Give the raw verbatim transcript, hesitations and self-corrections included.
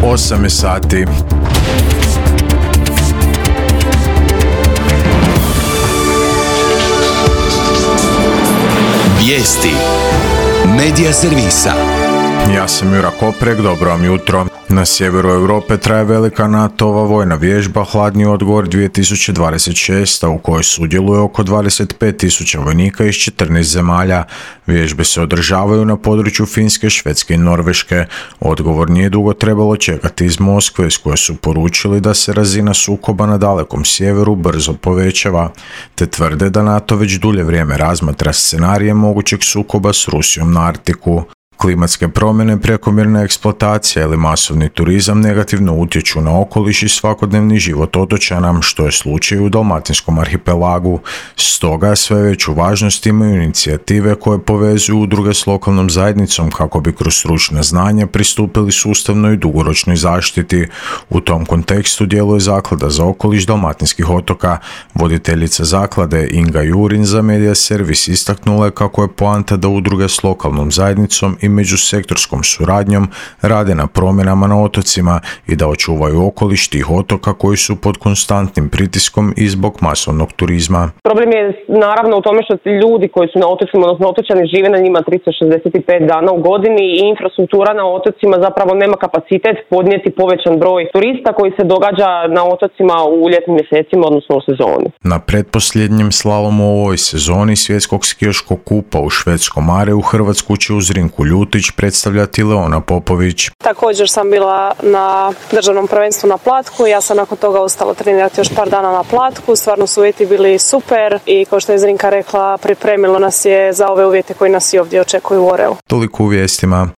osam je sati. Vijesti Medija servisa. Ja sam Jura Koprek, dobro vam jutro. Na sjeveru Europe traje velika NATO-ova vojna vježba Hladni odgovor dvije tisuće dvadeset šest, u kojoj sudjeluje oko dvadeset pet tisuća vojnika iz četrnaest zemalja. Vježbe se održavaju na području Finske, Švedske i Norveške. Odgovor nije dugo trebalo čekati iz Moskve, iz koje su poručili da se razina sukoba na dalekom sjeveru brzo povećava, te tvrde da NATO već dulje vrijeme razmatra scenarije mogućeg sukoba s Rusijom na Arktiku. Klimatske promjene, prekomjerna eksploatacija ili masovni turizam negativno utječu na okoliš i svakodnevni život otočana, što je slučaj u Dalmatinskom arhipelagu. Stoga sve veću važnost imaju inicijative koje povezuju udruge s lokalnom zajednicom kako bi kroz stručna znanja pristupili sustavnoj i dugoročnoj zaštiti. U tom kontekstu djeluje Zaklada za okoliš Dalmatinskih otoka. Voditeljica zaklade Inga Jurin za Medija servis istaknula je kako je poanta da udruge s lokalnom zajednicom i međusektorskom suradnjom rade na promjenama na otocima i da očuvaju okoliš tih otoka koji su pod konstantnim pritiskom i zbog masovnog turizma. Problem je naravno u tome što ljudi koji su na otocima, odnosno otočani, žive na njima tristo šezdeset pet dana u godini i infrastruktura na otocima zapravo nema kapacitet podnijeti povećan broj turista koji se događa na otocima u ljetnim mjesecima, odnosno u sezoni. Na pretposljednjem slalomu u ovoj sezoni svjetskog skijaškog kupa u švedskom Mareu Hrvatsku će uz Zrinku Ljutić predstavljati Leona Popović. Također sam bila na državnom prvenstvu na Platku, ja sam nakon toga ostala trenirati još par dana na Platku, stvarno su uvjeti bili super i kao što je Zrinka rekla, pripremilo nas je za ove uvjete koji nas i ovdje očekuju u Oreu. Toliko u vijestima.